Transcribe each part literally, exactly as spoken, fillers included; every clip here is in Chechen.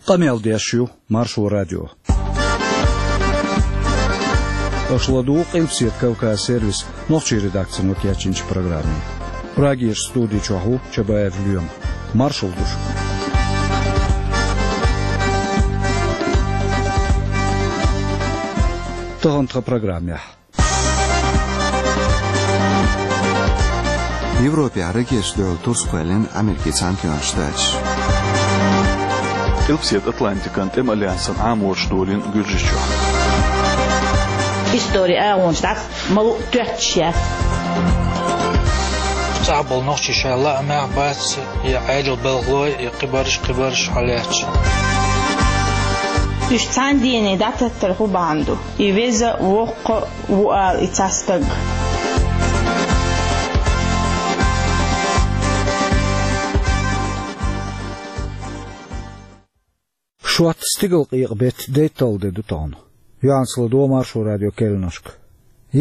Къамел деш ю Маршо радио. Аша ладугӀу Къилбаседа Кавказ сервисан нохчийн редакцино кечйинчу программе. Прагерчу студи чохь ву Чабаев Лоьма. Маршалла ду шуьга. Тахана тхан программехь. Европехь ракеташ дуьхьал турс кхоьллина Америкин Цхьаьнатоьхначу Штаташа. Къилбаседа Атлантикан тӀеман альянсан Ӏамораш долийна Гуьржийчохь. Истори агӀонаш дӀа ма луъу тоьттуш яц. ЦӀахь болу нохчий шайн лаамехь бац я Ӏедал балхалой, я кхибарш, кхибарш хьалаьцча. Уьш цхьана дийне дӀататтар хӀун бахьана ду? И веза, воккха а ву ала и цхьа стаг. Шоьтан стигалкъекъа беттан дейтталгӀа де ду тахана. Юьхьанца ладогӀа Маршо радион керланашка.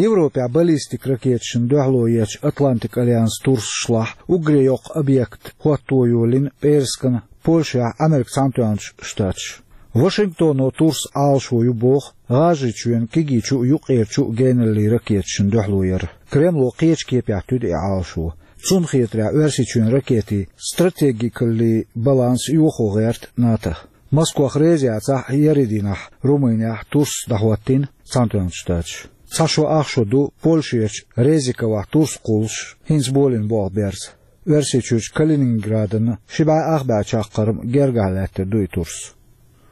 Европехь баллистик ракеташна дуьхьало ечу Атлантик альянсан турсашлахь уггаре йоккха объект хӀотто йолийна пӀераскан Польшехь Америкин Цхьаьнатоьхначу Штаташа. Вашингтоно турс Ӏалашо ю боху ГӀажарийчоьнан кегийчу а, юккъерчу а геналлин ракеташна дуьхьало яр. Кремло кхечу кепехь туьду и Ӏалашо. Цунна хетарехь, Оьрсийчоьнан ракетийн стратегикаллин баланс йохо гӀерта НАТО. Москох реза яцахь а, еарин дийнахь Румынехь турс дӀахӀоттийна Цхьаьнатоьхначу Штаташа. Цхьа шо ах шо ду Польшерчу Резиковехь турс кхуллуш, хӀинца болийна болх берза. Оьрсийчуьрчу Калининградан ши бӀе ах бӀе чаккхарма гергахь лаьттар ду и турс.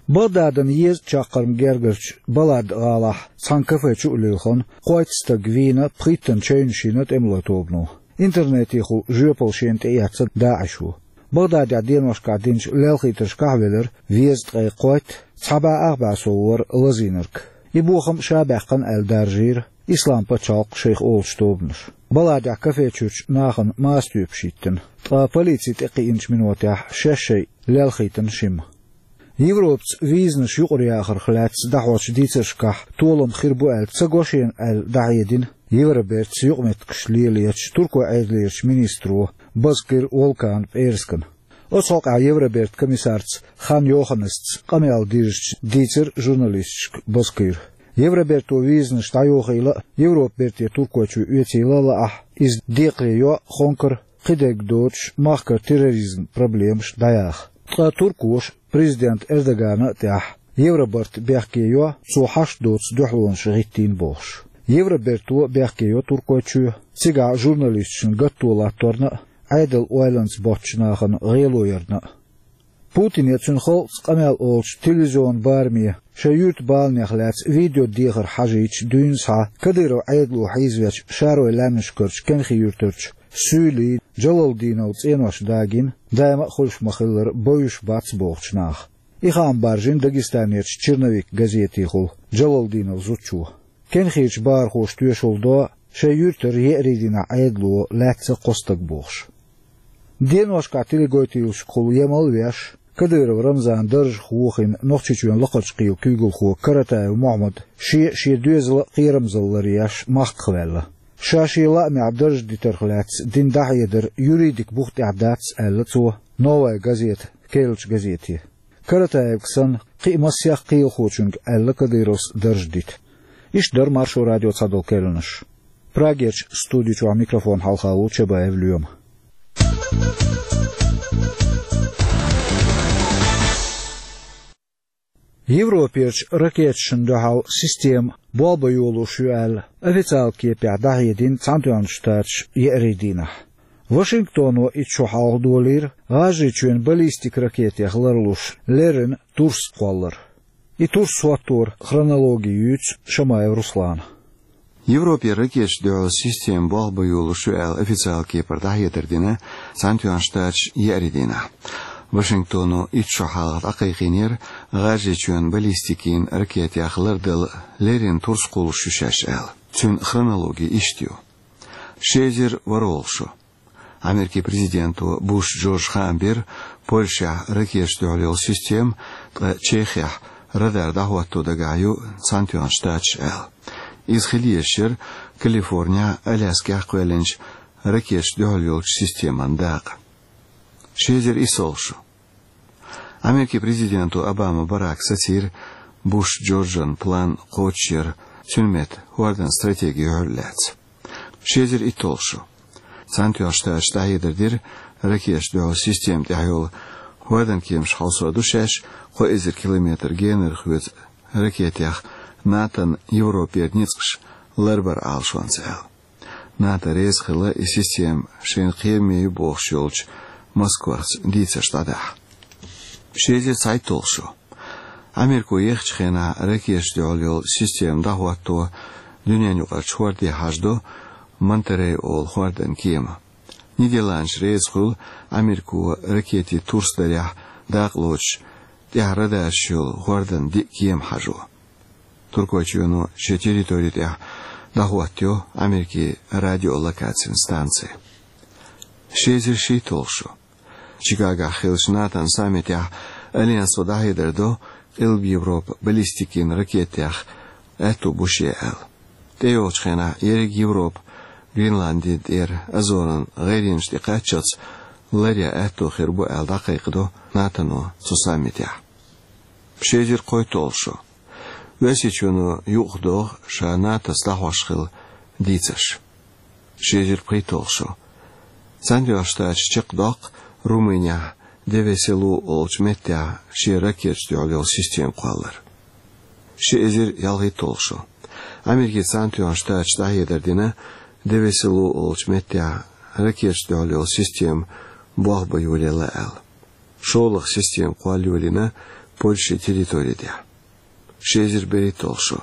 Багдадан езткъа чаккхарма гергарчу Балад гӀалахь цхьана кафе чу а лилхина, кхойтта стаг вийна, пхийттана чевнаш йина тӀемалойн тобано. Интернетехула жоьпалла шена тӀеэцна ДАИШо. Багдадехь деношкахь динчу лелхийтаршкахь а велира везткъе кхойтта, цхьа бӀе ах бӀе сов вара лазийнарг. И бохам ша баьккхина аьлла даржийра Ислам пачхьалкх шайх олучу тобанаша. Баладехь кафе чуьрчу нахана маса тоьпаш йиттина, ткъа полици тӀекхиъначу минотехь шаьш шайн лелхийтина шимма. Европаца визанаш юкъараяхарх лаьцна дӀахьочу дийцаршкахь толам хир бу аьлла ца го шена аьлла дӀахьедина Евробертаца юкъаметтигаш лелочу Туркойн Ӏедалерчу министро Базкир Волкана пӀераскана. Оцу хьокъехь Евробертан комиссарца Хан Йоханнесца къамел дирзича дийцира журналисташка Базкира. Евроберто визанаш дӀайохийла а, Европа берте Туркойчу оьцийла а лаахь, иза декхаре йо а, хонкара кхидерг доцуш махкара терроризман проблемаш дӀаяха. Ткъа туркоша президент Эрдогана а тӀехь Евробарт бехке йо, цо хьашт доцу дуьхьалонаш гӀиттийна бохуш. Евроберто бехке йо Туркойчоь, цигахь журналисташна гатто латторна а, Ӏедалан ойланца боцчу нахана гӀело ярна а. Путине, цуьнан халкъаца къамел олучу телевизионан бараме шайн юьртан баланех лаьцна видео дехар хьажийча дуьйна схьа Кадыров Ӏедало хьийзавечу шаройн лаьмнашкарчу Кенхи-Юьртарчу Суьйли, Джалалдиновн цӀенош дагийна, даима а хуьлуш ма-хиллара, бовзуш бац бохучу наха. И хаам баржийна Дагестанерчу «Черновик» газетехула Джалалдиновн зудчо. Кенхерчу бахархоша тоьшалла до шайн юьртара еарин дийнахь Ӏедало лаьцна кхо стаг бохуш. Деношкахь теленаготийлашкахула емал а веш, Кадыров Рамзан даржах вохийна Нохчийчоьнан Лакхарчу кхелан куьйгалхо Каратаев Мохьмад шен а, шен доьзалан а кхерамзалла ларъеш махках ваьлла. Ша шен лаамехь дарж дитарх лаьцна дина дӀахьедар юридикан бух тӀехь дац, аьлла цо «Новая газета» керлачу газете. Каратаевга санна, кхин а массех кхелахочуьнга аьлла Кадыровс дарж дита. Иштта дара Маршо радион цхьадолу керланаш. Прагерчу студи чохь микрофон хьалха ву Чабаев Лоьма. Европерчу ракеташна дуьхьал система болх бан йолуш ю аьлла, официалан кепехь дӀахьедина Цхьаьнатоьхначу Штаташа еарин дийнахь. Вашингтоно итт шо хьалха долийра ГӀажарийчоьнан баллистик ракетех ларлуш леррина турс кхоллар. И турс хӀотторан хронологи юьйцу Шамаев Руслана. Европе ракеташна дуьхьал система болх бан йолуш ю аьлла официалан кепара дӀахьедар дина Цхьаьнатоьхначу Штаташа еарин дийнахь. Вашингтоно итт шо хьалха дӀакхайкхийнера ГӀажарийчоьнан баллистикин ракетех лардала леррина турс кхуллуш ю шаьш аьлла. Цуьнан хронологи иштта ю. Ши эзар ворхӀалгӀа шо. Америкин президенто Буш Джорджа хаам бира Польшехь ракеташна дуьхьал йолу система, ткъа Чехехь радар дӀахӀотто дагахь ю Цхьаьнатоьхначу Штаташа аьлла. Иза хила езаш яра Калифорнехь, Аляскехь кхоьллинчу ракеташна дуьхьал йолчу системан дакъа. Ши эзар исс шо. Америкин президента Обама Барака сацийра Буш Джорджан план кхочушъяр, цуьнан метта хӀордан стратеги юьхьар лаьцна. Ши эзар итталгӀа шо. Цхьаьнатоьхначу Штаташа дӀахьедар дира, ракеташна дуьхьал система тӀехь йолу хӀордан кеманаш хьовсур ду шаьш, кхо эзар километр генара хьоьца ракетех НАТОн Европера ницкъаш ларбар Ӏалашонца аьлла. НАТО реза хилла и система шайна кхераме ю бохуш йолчу Москвахца дийцарш дӀадахьа. Ши эзар цхьайтталгӀа шо. Америко ехачу хенахь ракеташна дуьхьал йолу система дӀахӀотто дуьненаюкъарчу хӀорде хьажадо Монтеррей олу хӀордан кема. Нидерландаш реза хуьлу Америко ракетийн турс дарехь дакъа лоцуш тӀехь радарш йолу хӀордан диъ кема хьажо. Туркойчоьно шен территори тӀехь дӀахӀоттайо Америкин радиолокацин станци. Ши эзар шийтталгӀа шо. Чикагохь хиллачу НАТОн саммитехь Альянсо дӀахьедар до, Къилба Европа баллистикин ракетех аьтто бу шен аьлла. ТӀейогӀучу хенахь ерриг Европа Гренландин тӀера Азоран гӀайренаш тӀе кхаччалц ларъян аьтто хир бу аьлла дӀакхайкхадо НАТОно цу саммитехь. Ши эзар кхойтталгӀа шо. Оьрсийчоьно юкъадоху ша НАТОс дӀахьош хилла дийцарш. Ши эзар пхийтталгӀа шо. Цхьаьнатоьхначу Штаташа чекхдоккху Румынехь Девеселу олучу меттехь шен ракеташна дуьхьал йолу система кхоллар. Ши эзар ялхийтталгӀа шо. Америкин Цхьаьнатоьхначу Штаташа дӀахьедар дина Девеселу олучу меттехь ракеташна дуьхьал йолу система болх бан йолаелла аьлла. ШолгӀа система кхолла йолийна Польшин территори тӀехь. Ши эзар берхӀитталгӀа шо.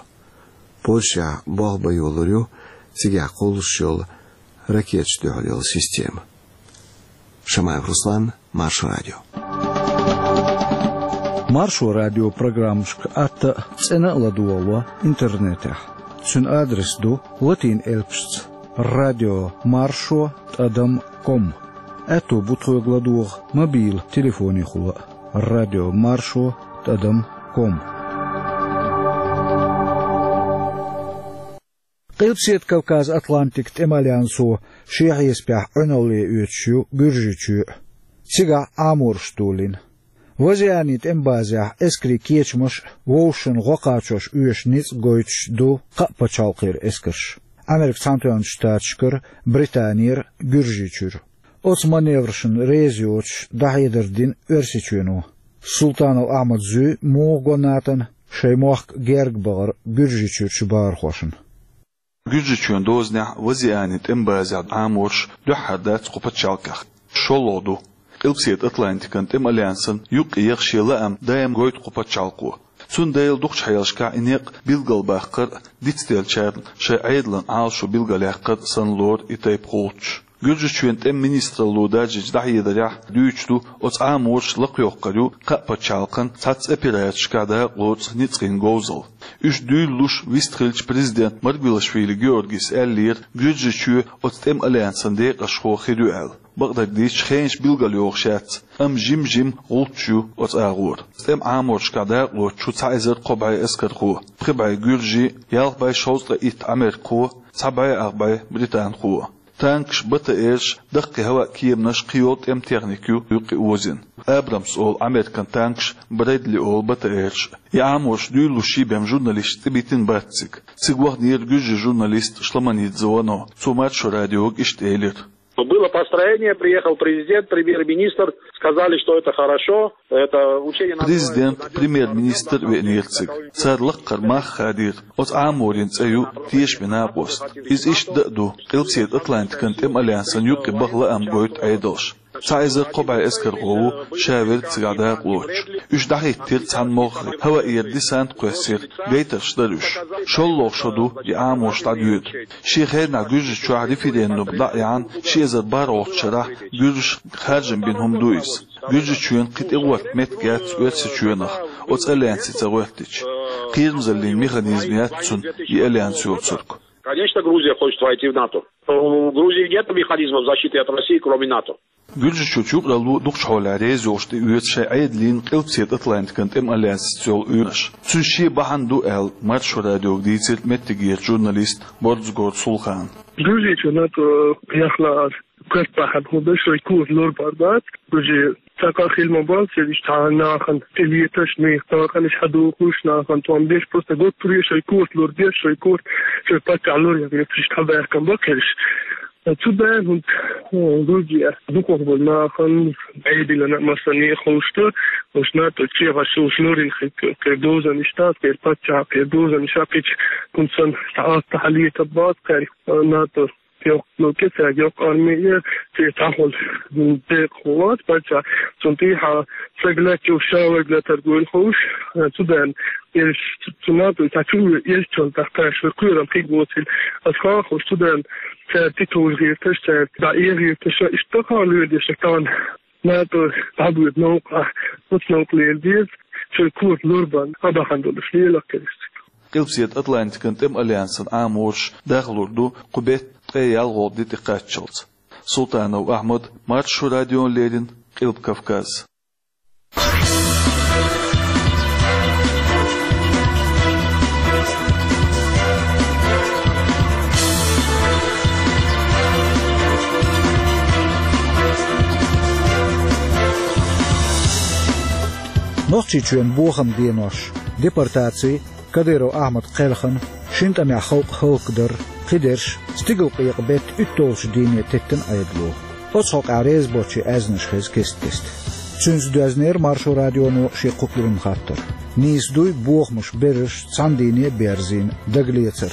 Польшехь болх бан йолалур ю цигахь кхуллуш йолу ракеташна дуьхьал йолу система. Шамаев Руслан, Маршо радио. Маршо радио программашка атта а, цӀена а ладогӀало интернетехь. Цуьнан адрес ду латин элпашца: радио маршо тӀадам ком. Аьтто бу тхоьга ладогӀа мобил телефонехула а: радио маршо тӀадам ком. Къилбаседа Кавказ-Атлантикан тӀеман альянсо шен хьесапехь Ӏуьналле оьцуш ю Гуьржийчоь а. Цигахь Ӏаморш долийна. Вазианин тӀеман базехь эскарийн кечамаш а, вовшашна гӀо кхачош оьшуш ницкъ гойтуш ду кхаа пачхьалкхера эскарш: Америкин Цхьаьнатоьхначу Штаташкара, Британера, Гуьржийчуьра. Оцу маневрашна реза йоцуш дӀахьедар дина Оьрсийчоьно. Султанов Ахьмада зуьй муха го НАТОна шайн мохк герга бахар Гуьржийчуьрчу бахархошна. Гуьржийчоьнан дозанехь Вазианин тӀеман базехь Ӏаморш дуьххьара дац кху пачхьалкхехь. ШолгӀа ду. Къилбаседа Атлантикан тӀеман альянсан юккъе яха шен лаам даим гойту кху пачхьалкхо. Цундела дукхачу хьелашкахь и некъ билгалбаккхар а, дицделлачарна шайн Ӏедалан Ӏалашо билгалъяккхар а санна лору и тайпа гӀулчаш. Гуьржийчоьнан тӀеман министралло даржийначу дӀахьедарехь дуьйцуш ду, оцу Ӏаморша лакхайоккхур ю кхаа пачхьалкхана цхьацца операцешкахь дакъа лоцу ницкъийн говзалла. Уьш дуьйлалуш вистхиллачу президента Маргвелашвили Георгийс аьллера, Гуьржийчоь оцу тӀеман альянсан декъашхо хир ю аьлла. Бакъдерг дийцича, хенаш билгалйохуш яц, амма жим-жима гӀулчаш ю оцу агӀор. ТӀеман Ӏаморшкахь дакъа лоцуш ю цхьа эзар кхо бӀе эскархо, пхи бӀе гуьржи, ялх бӀе шовзткъе итт америкахо, цхьа бӀе ах бӀе британхо. Танкаш, БТР-ш, даккхий хӀаваан кеманаш, кхийолу тӀеман техника ю юккъе озийна. Абрамс олу Американ танкаш, Брэдли олу БТР-ш. И Ӏаморш дуьйлалуш ю бен журналисташца тӀебиттина бац цига. Цига ваханера гуьржийн журналист Шламанидзе Вано. Цо Маршо радиога иштта элира: Но было построение, приехал президент, премьер-министр, сказали, что это хорошо, это учение называется... Президент, премьер-министр веанера цига. Цара лакхара мах хадийра. Оцу Ӏаморийн цӀе ю тешаме накъост. Иза иштта дан а ду, Къилбаседа Атлантикан тӀеман альянсан юккъе баха лаам гойту Ӏедалш. Цхьа эзар кхо бӀе эскархо ву ша верг цигахь дакъа лоцуш. Уьш дӀахӀиттира цхьана могӀаре, хӀаваъера десант кхоьссира, гайтарш дара уьш. ШолгӀа шо ду и Ӏаморш дӀадоьду. Шен хенахь Гуьржийчохь референдум дӀа а яьхьна, ши эзар бархӀалгӀачу шарахь гуьржаша харжам бина хӀума ду иза. Гуьржийчоьнан кхин тӀегӀорта меттиг яц Оьрсийчоьнах, оцу альянсе ца гӀоьртича. Кхерамзаллин механизм яц цуьнан и альянс йоцург. Конечно, Грузия хочет войти в НАТО. Но у Грузии нет механизмов защиты от России, кроме НАТО. Гуьржийчоьнан юкъаралло дукхачу хьолехь реза йолуш тӀеоьцу шайн Ӏедална Къилбаседа Атлантикан тӀеман альянсца йолу уьйраш. Цуьнан шен бахьана ду аьлла, Маршо радиога дийцира меттигерчу журналиста Борзгорт Сулхана. Грузия чу НАТО яхла ас. Кхетта бахьан хӀун да, шоай корта лорабар бац, уже цхьаккха хила ма бац, иштта нахана тӀелеташ, нах таханиш хьадохуш, нахана тӀом беш, просто готтуре шоай корта лорабеш, шоай корта, шоай паччахь лораян гӀерташ, иштта хьабаьхкан ба кхераш. Цу дайн хӀунда, э, гургия дукхагӀбола нахана, Ӏедална а массане а ховш да, уж НАТО чехаш уж лорин хи-, кхер дозанаш дац, кхер паччахь, кхер дозанаш а кхич, хӀунда санна, тӀа атта хьалетаб бац кхер, э, НАТО йоккха, ну, кицаг йоккха армия, цӀе цхьахула декъахо вац паччахь, цунна тӀехьа саг лаьттача ша вайга латар гойла ховш, цу дайн, еш, цу НАТО, цхьа чу еш чон тахташ, вай кхерам хиг воцил, ас хахуш, цу дайн, цаьрта тӀетовжа гӀерташ, цаьрта дӀаэха гӀерташ, иштта ха лоьрдеш, тан НАТО дӀабоьду новкъа, оцу новкъа лела деза, шоай корта лорабан, а бахьан долуш лела кхераш. Къилбаседа Атлантикан тӀеман альянсан Ӏаморш дахлур ду кху беттан ткъе ялхолгӀа де тӀекхаччалц. Султанов Ахьмад, Маршо радиона леррина, Къилба Кавказ. Нохчийчоьнан бохаман денош, депортаци, Кадыров Ахьмадан кхелхина, шина тӀамехь халкъ хӀаллакдар, кхидерш, стигалкъекъа беттан уьтталгӀачу дийне теттина Ӏедало. Оцу хьокъехь реза боцчийн аьзнаш хеза кест-кеста. Цуьнца доьзнера Маршо радионо шен кху куьйранна хаттар. Нийса дуй бохамаш берриш цхьана дийне а берзийна дагалецар.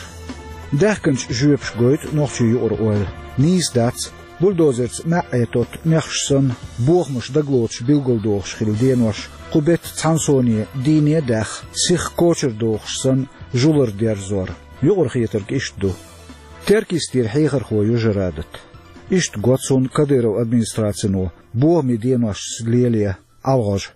Даьхкинчу жоьпаша гойту нохчийн юкъара ойла. Нийса дац, бульдозерца маьӀӀе тотту мехаш санна, бохамаш дагалоцуш билгалдохуш хилла денош, кху беттан цхьана соне дийне а даьхна, сиха кочара дохуш санна, жулар дерзор. Юкъархетарг иштта ду. Теркйистера хьехархо ю Жарадат. Иштта го цунна Кадыровн администрацино бохамийн деношца лелае ӀалагӀожа.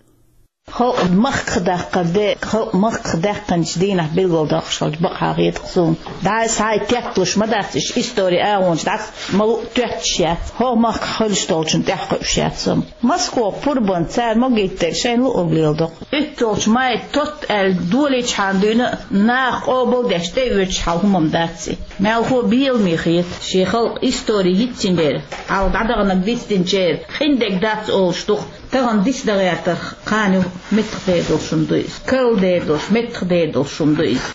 Халкъ махках даккхар де, халкъ махках даьккхинчу дийнахь билгалдоккхуш хилча бакъахьа хета-кх суна. ДӀа а схьа а тетталуш ма дац, иштта истори агӀончу дӀа а ма луъу тоьттуш яц. ХӀокху махкахь хуьлуш долчунна тӀаьхьакхуьуш яц амма. Москох пурбанца цара могиттара шайна луург леладо-кх. УьтталгӀачу май тотта аьлла долийчхьана дуьйна а наха къобалдеш тӀеоьцуш хьал хӀума-м дац и. Мелхо а беламе хета, шен халкъан истори йицйина бер, хьалха дӀадаханарг дицдинчеран къиндерг дац олуш ду-кх. Тахана диц дан гӀертарх кхана юха меттахдер долуш хӀума ду иза. Карладер долуш, меттахдер долуш хӀума ду иза.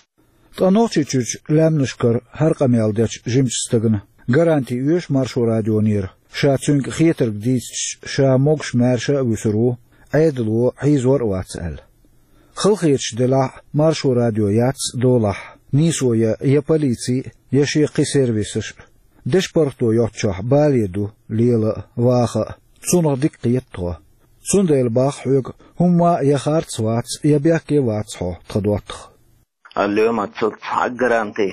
Ткъа Нохчийчуьрчу лаьмнашкара хӀара къамел дечу жимачу стагана гаранти оьшу Маршо радионера, ша цуьнга хетарг дийцича, ша могуш-маьрша а вуьсур ву, Ӏедало хьийзор а вац аьлла. Халахеташ делахь а, Маршо радио яц долахь, нийсо я, я полици, я шен кхин сервисаш а. Дешан паргӀато йоцчохь бале ду, лела а, ваха а. Цунах дика кхета тхо. Цундела боху хьоьга, хӀумма а я харц вац, я бехке вац хьо, тхан доттагӀа. Алло, ма ца цхьа гаранти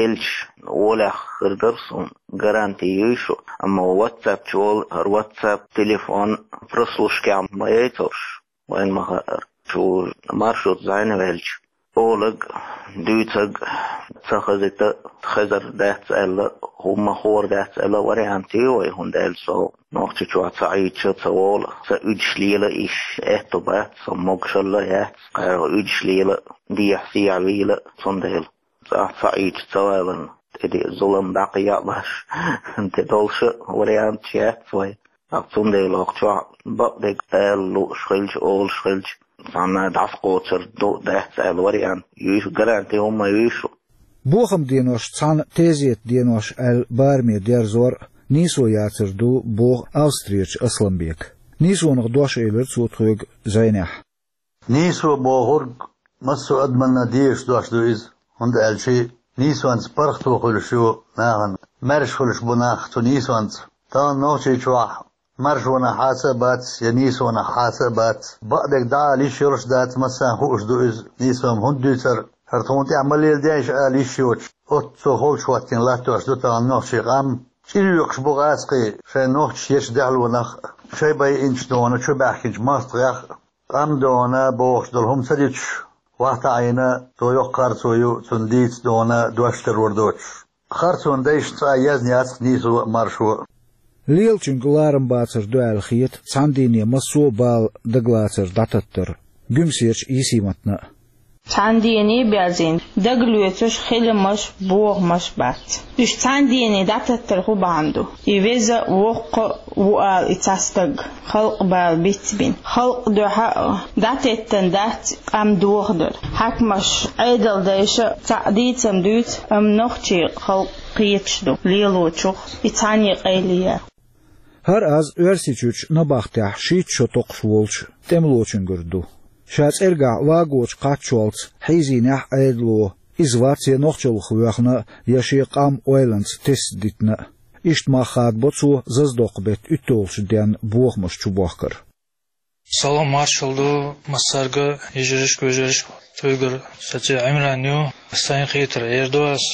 елча, олехь хир дара суна, гаранти юй шу, амма WhatsApp чу волу, хӀара WhatsApp телефон прослушкехь ма яйталаш. Вайн ма хаьара, шу Маршо зӀене ваьлча, олаг, дуьйцаг, ца хазита, хезар дац аьлла, хӀумма хуур дац аьлла вариант ю вай, хӀунда аьлча со Нохчийчохь ца Ӏийча, ца волу, сан уьдуш лела йиш аьтто бац, сан могушалла яц, кхара уьдуш лела, дехьа-сехьа вийла, цундела. Ца, ца Ӏийча ца валарна, тӀе де зулам дӀакхайкхабеш, тӀе долуш а варианташ яц вай. ТӀаккха цундела хӀокху чохь бакъдерг ала лууш хилча, олуш хилча, цхьанна дӀасакхочур ду, дац аьлла вариант юй шу, гаранти хӀумма юй шу. Бохаман денош цхьаьна тезетан денош аьлла бараме дерзор а нийсо яцар ду, боху Австрерчу Асламбека. Нийсонах дош элира цо тхоьга зӀенехь. Нийсо бохург массо а адамна дезаш дош ду иза, хӀунда аьлча нийсонца паргӀато хуьлуш ю нахана. Маьрша хуьлуш бу нах цу нийсонца. Тахана Нохчийчохь маршонах хьаца а бац, я нийсонах хьаца а бац. Бакъдерг дӀаала йиш йолуш дац, массарна хууш ду иза, нийсо-м хӀунда дуьйцура, хӀара тхуна тӀехь ма леладеш ала йиш йоцуш, оццо холчу хӀоттийна латтош ду тахана нохчийн къам. ЧӀир йоькхуш бу гӀазкхий, шайн нохчаша ечу даьхлонах а, шайн байинчу дона чу баьхкинчу мостагӀех а. Къам дона бохуш долу хӀума ца дитуш, вахта Ӏийна, цо йоккха харцо ю, цунна дийца дона дош таро доцуш. Харцонан дайшна цкъа а езна яц-кх нийсо а, маршо а. Лелачуьнга ларам бацар ду аьлла хета цхьана дийне массо а бала дагалацар дӀататтар Гуьмсерчу Йисиматна а. Цхьана дене а баьззина, дагалоьцуш хиламаш, бохамаш бац. Уьш цхьана дене дӀатеттар хӀун бахьана ду? И веза, воккха а ву ала и цхьа стаг, халкъ бала бицбина. Халкъ дуьхьа а дӀатеттан дац къам дохадар. Хьаькамаш, Ӏедал дайша а цхьаъ дийцам дуьйцу, амма нохчий халкъ кхеташ ду лелочух и цхьаьна къайле яр. ХӀара аз Оьрсийчуьрчу набахтехь шийтта шо токхуш волчу тӀемалочуьнгара ду. Ша цӀергахь вагочу кхаччалц хьийзийнехь Ӏедало, иза вац я нохчаллах воьхна, я шен къам ойланца тесна дитина. Иштта мах хадабо цо заздоккху беттан уьтталгӀачу денна бохамаш чубохкар. Салам маршалла ду массаьрга, йижаршка, вежаршка, цуьнгара саций Ӏимран ю, сайн хетар эр ду ас.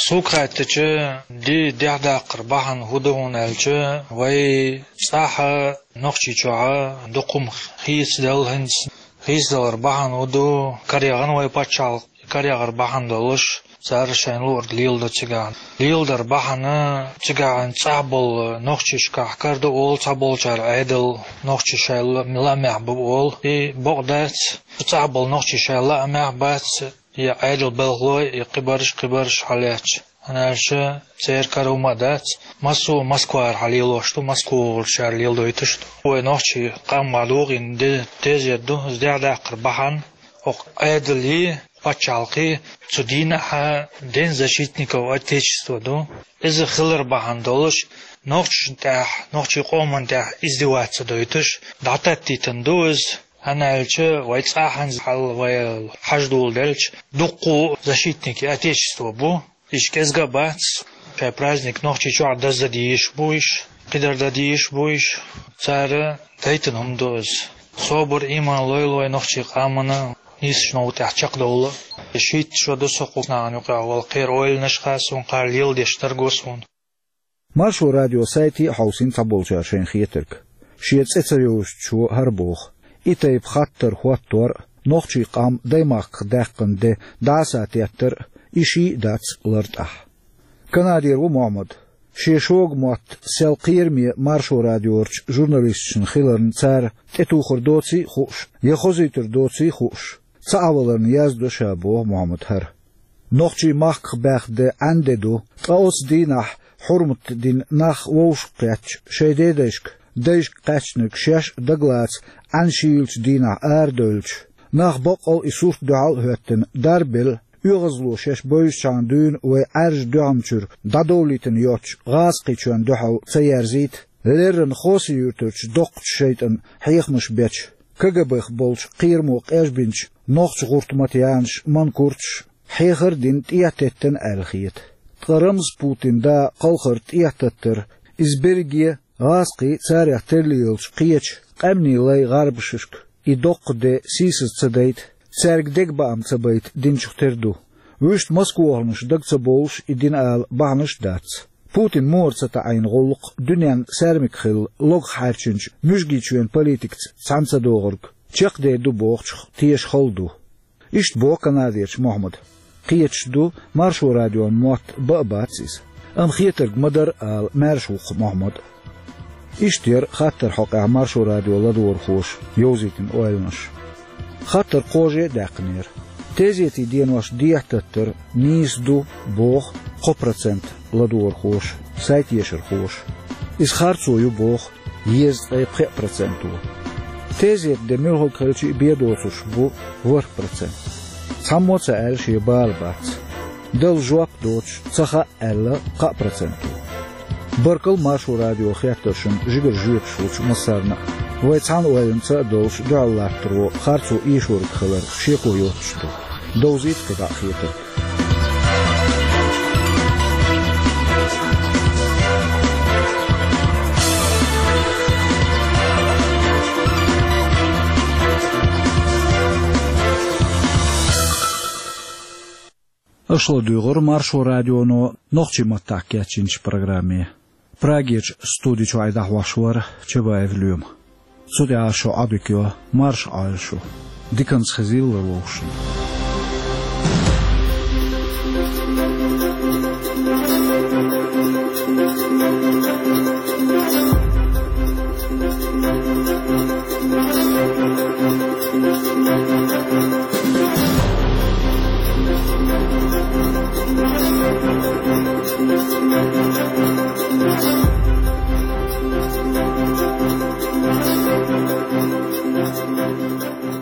Сук хаттача, ди дехьадаккхар бахьана хӀун ду хьуна аьлча, вай цӀахь а, Нохчийчохь а дукха хӀума хийцаделла хӀинца. Хийцадалар бахьана хӀун ду, караягӀна вай пачхьалкх, караягӀар бахьана долуш, цара шайна луург леладо цигахь. Леладар бахьана цигахь цӀахь болу нохчашкахь кара ду олу цхьаболчара Ӏедал, нохчий шайн ла-, лаамехь бу олу. И бакъ дац, цӀахь болу нохчий шайн лаамехь бац, и Ӏедал белхалой, и кхибарш, кхибарш хьалаьцча. ХӀунда аьлча церан кара хӀума а дац, массо а Москвара хьалелош ду, Москва волчара леладойтуш ду. Вай нохчий къам ма догӀийна де-, тезет ду, иза дехьадаккхар бахьана, окху Ӏедале, пачхьалкхе цу дийнахь День защитников Отечества ду. Иза хилар бахьана долуш, нохчашна тӀехь, нохчий къоман тӀехь издеваться дойтуш, дӀататтийтина ду иза. ХӀунда аьлча вай цӀахь хӀинца хьал вай хьаждолу делча, дуккха а защитники Отечества бу. Иштта кӀезга а бац, шайн праздник Нохчийчохь даздан дезаш бу уьш, кхидерг дан дезаш бу уьш. Цара дайтина хӀума ду иза. Собар, иман лойла вай нохчий къамана, нийсачу новкъа тӀехь чекхдовла. Шийтта шо ду со кху нахана юкъахь вала кхеран ойланаш хаа суна, кхара леладеш дерг го суна. Маршо радион сайте а хьовсийна цхьаболчара шайн хетарг. Шен цӀе ца йовзучо хӀара боху: и тайпа хаттар хӀоттор а, нохчий къам даймахках даьккхина де дӀасатеттар а, и ший а дац лартӀахь. Канадера ву Мохьмад. Шен шога мотт сел кхераме Маршо радиорчу журналисташна хиларна цара тӀетухур доций а хууш, я хозуьйтур доций а хууш, ца Ӏаваларна яздо ша, боху Мохьмада хӀара. Нохчий махках баьхна де Ӏаьнде ду, ткъа оцу дийнахь хьурмат дина нах вовшах кхетча, шайн дедайшка, дайшка кхаьчнарг шаьш а дагалаца Ӏаьнан шийлачу дийнахь арадевлча, нах баккъал а и сурт дуьхьал а хӀоьттина дарбелла, оьгӀазло шаьш бевзачхьана дуьйна вай Ӏаьржа дуьхьамчуьра дӀадовлийтина йоцчу гӀазкхичоьнна дуьхьал ца ерзийта, леррина Хоси-Юьртарчу доккхачу шайтӀан хьехамаш бечу, КГБ-х болчу кхерамо къежбинчу нохчийн гӀуртматанаша, манкурташа хьехар а дина, тӀе а теттина аьлла хета. Ткъа Рамзан Путин да кхалхар тӀе а таттар, иза берриге гӀазкхий, царех терлаелчу кхечу къаьмнийн лайн гӀарбашка и доккха де сийсаза ца дайта, цаьрга дегабаам ца байта динчух тера ду. Вуьшта москвахланаш дага ца бовлуш и дина ала бахьанаш а дац. Путинна муха ца таӀийна гӀуллакх дуьненна саьрмик хилла логах хьаьрчинчу Муьжгийчоьнан политикаца цхьаьна ца догӀург, чекхдер ду бохучух теша хала ду. Иштта боху Канадерчу Мохьмада. Кхеташ ду, Маршо радион мотт бан а бац иза. Амма хетарг ма-дарра ала маьрша ву-кх Мохьмад. Иштта яра хаттаран хьокъехь Маршо радион ладогӀархоша йовзийтина ойланаш. Хаттар кхаже а даьккхинера. Тезетийн денош дехьататтар нийса ду боху кхо процент ладогӀархоша, сайтешархоша. Иза харцо ю боху езткъе пхеа проценто. Тезетан де муьлхарг хилча а бен доцурш бу ворхӀ процент. Цхьаммо а ца аьлла шен бала бац. Дала жоп доцуш ца хаьа аьлла кхаа проценто. Баркалла Маршо радион хеттаршна жигара жоьпаш лучу массарна а. Вай цхьана ойланца а долуш дуьхьал латтаро харцо эшориг хилар шеко йоцуш ду. Довзийта кхидӀа а хетарг. Аша ладуьйгӀира Маршо радионо нохчийн маттахь кечйинчу программе. Прагерчу студи чуьра дӀахьош вара Чабаев Лоьма. Цу тӀехь шун Ӏодика йо, марша Ӏойла шу. Диканца хезийла вовшашна.